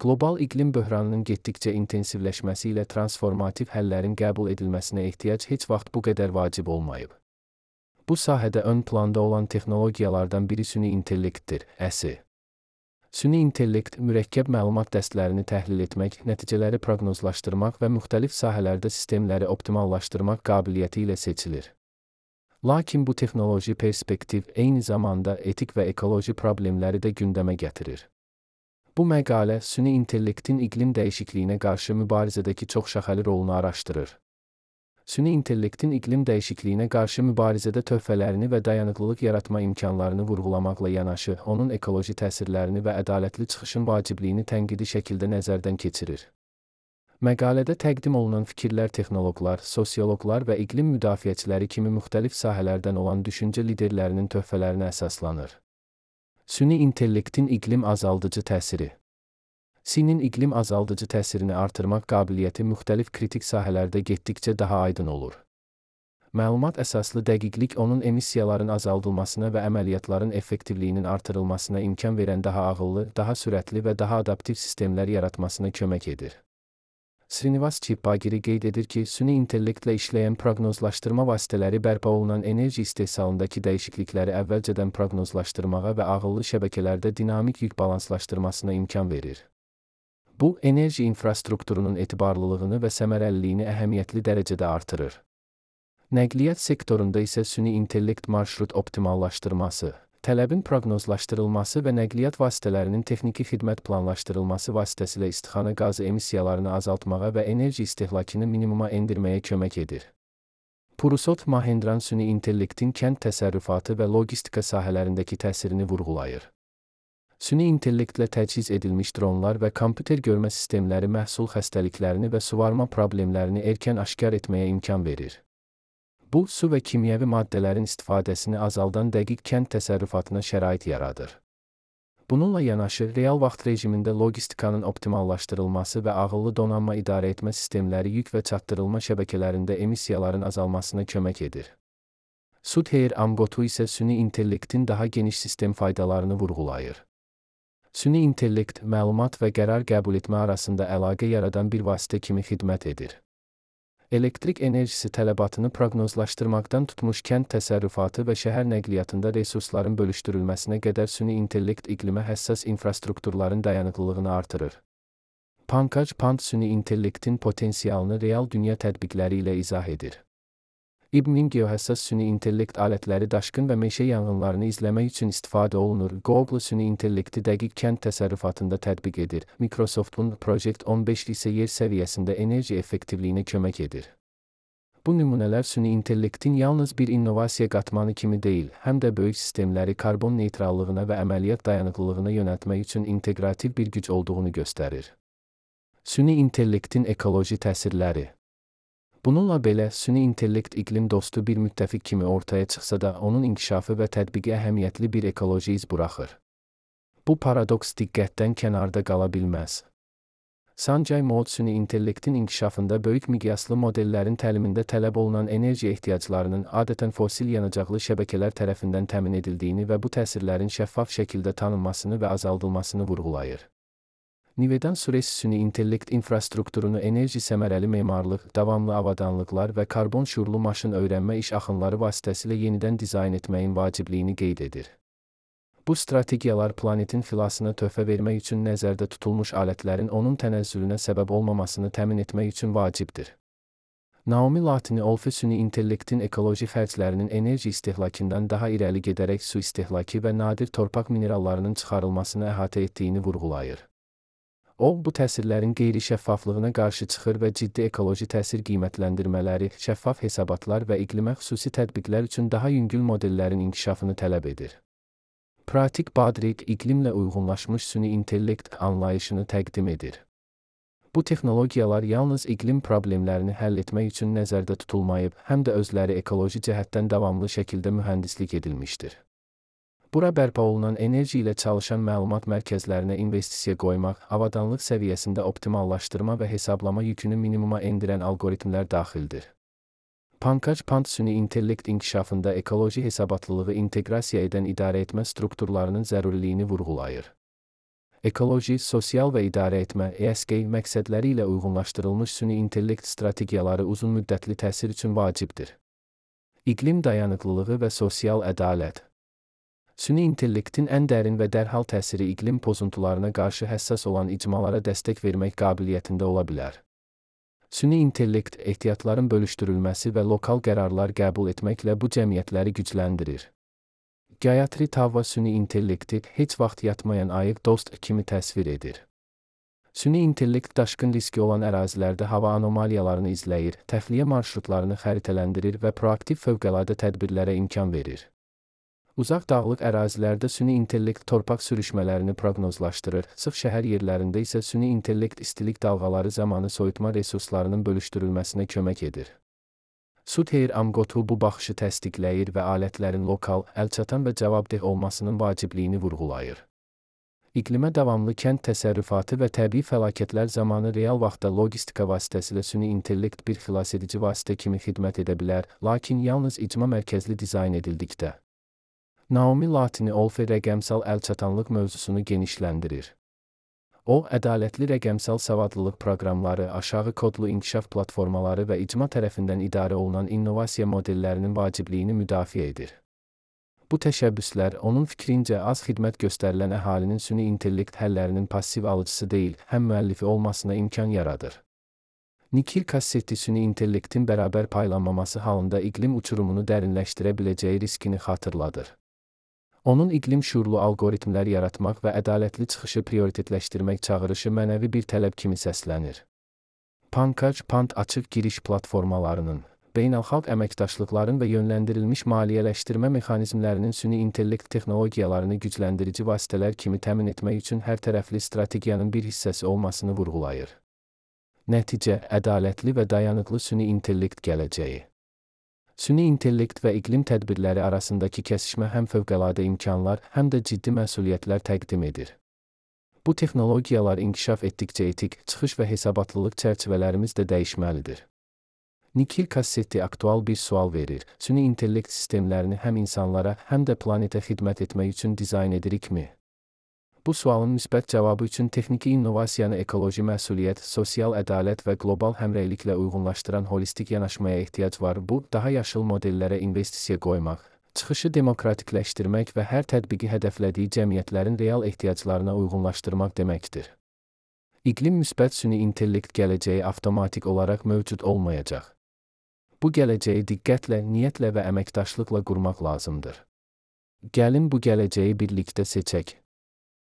Qlobal iqlim böhranının getdikcə intensivləşməsi ilə transformativ həllərin qəbul edilməsinə ehtiyac heç vaxt bu qədər vacib olmayıb. Bu sahədə ön planda olan texnologiyalardan biri süni intellektdir, əsi. Süni intellekt mürəkkəb məlumat dəstlərini təhlil etmək, nəticələri proqnozlaşdırmaq və müxtəlif sahələrdə sistemləri optimallaşdırmaq qabiliyyəti ilə seçilir. Lakin bu texnoloji perspektiv eyni zamanda etik və ekoloji problemləri də gündəmə gətirir. Bu məqalə süni intellektin iqlim dəyişikliyinə qarşı mübarizədəki çoxşaxəli rolunu araşdırır. Süni intellektin iqlim dəyişikliyinə qarşı mübarizədə töhfələrini və dayanıqlılıq yaratma imkanlarını vurğulamaqla yanaşı, onun ekoloji təsirlərini və ədalətli çıxışın vacibliyini tənqidi şəkildə nəzərdən keçirir. Məqalədə təqdim olunan fikirlər texnoloqlar, sosioloqlar və iqlim müdafiəçiləri kimi müxtəlif sahələrdən olan düşüncə liderlərinin töhfələrinə əsaslanır. Süni intellektin iqlim azaldıcı təsiri. Sinin iqlim azaldıcı təsirini artırmaq qabiliyyəti müxtəlif kritik sahələrdə getdikcə daha aydın olur. Məlumat əsaslı dəqiqlik onun emissiyaların azaldılmasına və əməliyyatların effektivliyinin artırılmasına imkan verən daha ağıllı, daha sürətli və daha adaptiv sistemlər yaratmasına kömək edir. Srinivas Chippagiri qeyd edir ki, süni intellektlə işləyən proqnozlaşdırma vasitələri bərpa olunan enerji istehsalındakı dəyişiklikləri əvvəlcədən proqnozlaşdırmağa və ağıllı şəbəkələrdə dinamik yük balanslaşdırmasına imkan verir. Bu, enerji infrastrukturunun etibarlılığını və səmərəliliyini əhəmiyyətli dərəcədə artırır. Nəqliyyat sektorunda isə süni intellekt marşrut optimallaşdırması, tələbin proqnozlaşdırılması və nəqliyyat vasitələrinin texniki xidmət planlaşdırılması vasitəsilə istixana qazı emissiyalarını azaltmağa və enerji istehlakını minimuma endirməyə kömək edir. Purusot Mahendran süni intellektin kənd təsərrüfatı və logistika sahələrindəki təsirini vurğulayır. Süni intellektlə təchiz edilmiş dronlar və kompüter görmə sistemləri məhsul xəstəliklərini və suvarma problemlərini erkən aşkar etməyə imkan verir. Bu, su və kimyəvi maddələrin istifadəsini azaldan dəqiq kənd təsərrüfatına şərait yaradır. Bununla yanaşı, real vaxt rejimində logistikanın optimallaşdırılması və ağıllı donanma idarə etmə sistemləri yük və çatdırılma şəbəkələrində emissiyaların azalmasına kömək edir. Sudhir Amgotu isə süni intellektin daha geniş sistem faydalarını vurğulayır. Süni intellekt, məlumat və qərar qəbul etmə arasında əlaqə yaradan bir vasitə kimi xidmət edir. Elektrik enerjisi tələbatını proqnozlaşdırmaqdan tutmuş kənd təsərrüfatı və şəhər nəqliyyatında resursların bölüşdürülməsinə qədər süni intellekt iqlimə həssas infrastrukturların dayanıqlılığını artırır. Pankaj Pant süni intellektin potensialını real dünya tətbiqləri ilə izah edir. İBM-in geohəssas süni intellekt alətləri daşqın və meşə yanğınlarını izləmək üçün istifadə olunur. Google süni intellekti dəqiq kənd təsərrüfatında tətbiq edir. Microsoft'un Project 15 isə yer səviyyəsində enerji effektivliyinə kömək edir. Bu nümunələr süni intellektin yalnız bir innovasiya qatmanı kimi deyil, həm də böyük sistemləri karbon neytrallığına və əməliyyat dayanıqlılığına yönəltmək üçün inteqrativ bir güc olduğunu göstərir. Süni intellektin ekoloji təsirləri. Bununla belə, süni intellekt iqlim dostu bir müttəfiq kimi ortaya çıxsa da, onun inkişafı və tətbiqi əhəmiyyətli bir ekoloji iz buraxır. Bu paradoks diqqətdən kənarda qala bilməz. Sanjay Mode süni intellektin inkişafında böyük miqyaslı modellərin təlimində tələb olunan enerji ehtiyaclarının adətən fosil yanacaqlı şəbəkələr tərəfindən təmin edildiyini və bu təsirlərin şəffaf şəkildə tanınmasını və azaldılmasını vurğulayır. Nivedan Suresh süni intellekt infrastrukturunu enerji səmərəli memarlıq, davamlı avadanlıqlar və karbon şüurlu maşın öyrənmə iş axınları vasitəsilə yenidən dizayn etməyin vacibliyini qeyd edir. Bu strategiyalar planetin xilasına töhfə vermək üçün nəzərdə tutulmuş alətlərin onun tənəzzülünə səbəb olmamasını təmin etmək üçün vacibdir. Naomi Latini Olfe süni intellektin ekoloji xərclərinin enerji istehlakından daha irəli gedərək su istehlakı və nadir torpaq minerallarının çıxarılmasını əhatə etdiyini vurğulayır. O, bu təsirlərin qeyri-şəffaflığına qarşı çıxır və ciddi ekoloji təsir qiymətləndirmələri, şəffaf hesabatlar və iqlimə xüsusi tətbiqlər üçün daha yüngül modellərin inkişafını tələb edir. Pratik Badrik iqlimlə uyğunlaşmış süni intellekt anlayışını təqdim edir. Bu texnologiyalar yalnız iqlim problemlərini həll etmək üçün nəzərdə tutulmayıb, həm də özləri ekoloji cəhətdən davamlı şəkildə mühəndislik edilmişdir. Bura bərpa olunan enerji ilə çalışan məlumat mərkəzlərinə investisiya qoymaq, avadanlıq səviyyəsində optimallaşdırma və hesablama yükünü minimuma endirən algoritmlər daxildir. Pankaj Pant süni intellekt inkişafında ekoloji hesabatlılığı inteqrasiya edən idarə etmə strukturlarının zəruriliyini vurğulayır. Ekoloji, sosial və idarə etmə (ESG) məqsədləri ilə uyğunlaşdırılmış süni intellekt strategiyaları uzunmüddətli təsir üçün vacibdir. İqlim dayanıqlılığı və sosial ədalət. Süni intellektin ən dərin və dərhal təsiri iqlim pozuntularına qarşı həssas olan icmalara dəstək vermək qabiliyyətində ola bilər. Süni intellekt ehtiyatların bölüşdürülməsi və lokal qərarlar qəbul etməklə bu cəmiyyətləri gücləndirir. Gayatri Tavva süni intellekti heç vaxt yatmayan ayıq dost kimi təsvir edir. Süni intellekt daşqın riski olan ərazilərdə hava anomaliyalarını izləyir, təxliyə marşrutlarını xəritələndirir və proaktiv fövqəladə tədbirlərə imkan verir. Uzaq dağlıq ərazilərdə süni intellekt torpaq sürüşmələrini proqnozlaşdırır, sıx şəhər yerlərində isə süni intellekt istilik dalğaları zamanı soyutma resurslarının bölüşdürülməsinə kömək edir. Sudhir Amgotu bu baxışı təsdiqləyir və alətlərin lokal, əlçatan və cavabdeh olmasının vacibliyini vurğulayır. İqlimə davamlı kənd təsərrüfatı və təbii fəlakətlər zamanı real vaxtda logistika vasitəsilə süni intellekt bir xilasedici vasitə kimi xidmət edə bilər, lakin yalnız icma mərkəzli dizayn edildikdə. Naomi Latini Olfe rəqəmsal əlçatanlıq mövzusunu genişləndirir. O, ədalətli rəqəmsal savadlılıq proqramları, aşağı kodlu inkişaf platformaları və icma tərəfindən idarə olunan innovasiya modellərinin vacibliyini müdafiə edir. Bu təşəbbüslər, onun fikrincə, az xidmət göstərilən əhalinin süni intellekt həllərinin passiv alıcısı deyil, həm müəllifi olmasına imkan yaradır. Nikhil Kassetti süni intellektin bərabər paylanmaması halında iqlim uçurumunu dərinləşdirə biləcəyi riskini xatırladır. Onun iqlim şuurlu algoritmlər yaratmaq və ədalətli çıxışı prioritetləşdirmək çağırışı mənəvi bir tələb kimi səslənir. Pankaj Pant açıq giriş platformalarının, beynəlxalq əməkdaşlıqların və yönləndirilmiş maliyyələşdirmə mexanizmlərinin süni intellekt texnologiyalarını gücləndirici vasitələr kimi təmin etmək üçün hərtərəfli strategiyanın bir hissəsi olmasını vurğulayır. Nəticə, ədalətli və dayanıqlı süni intellekt gələcəyi. Süni intellekt və iqlim tədbirləri arasındakı kəsişmə həm fövqəladə imkanlar, həm də ciddi məsuliyyətlər təqdim edir. Bu texnologiyalar inkişaf etdikcə etik, çıxış və hesabatlılıq çərçivələrimiz də dəyişməlidir. Nikhil Kassetti aktual bir sual verir: süni intellekt sistemlərini həm insanlara, həm də planetə xidmət etmək üçün dizayn edirikmi? Bu sualın müsbət cavabı üçün texniki innovasiyanı ekoloji məsuliyyət, sosial ədalət və qlobal həmrəyliklə uyğunlaşdıran holistik yanaşmaya ehtiyac var. Bu, daha yaşıl modellərə investisiya qoymaq, çıxışı demokratikləşdirmək və hər tətbiqi hədəflədiyi cəmiyyətlərin real ehtiyaclarına uyğunlaşdırmaq deməkdir. İqlim müsbət süni intellekt gələcəyi avtomatik olaraq mövcud olmayacaq. Bu gələcəyi diqqətlə, niyyətlə və əməkdaşlıqla qurmaq lazımdır. Gəlin bu gələcəyi birlikdə seçək.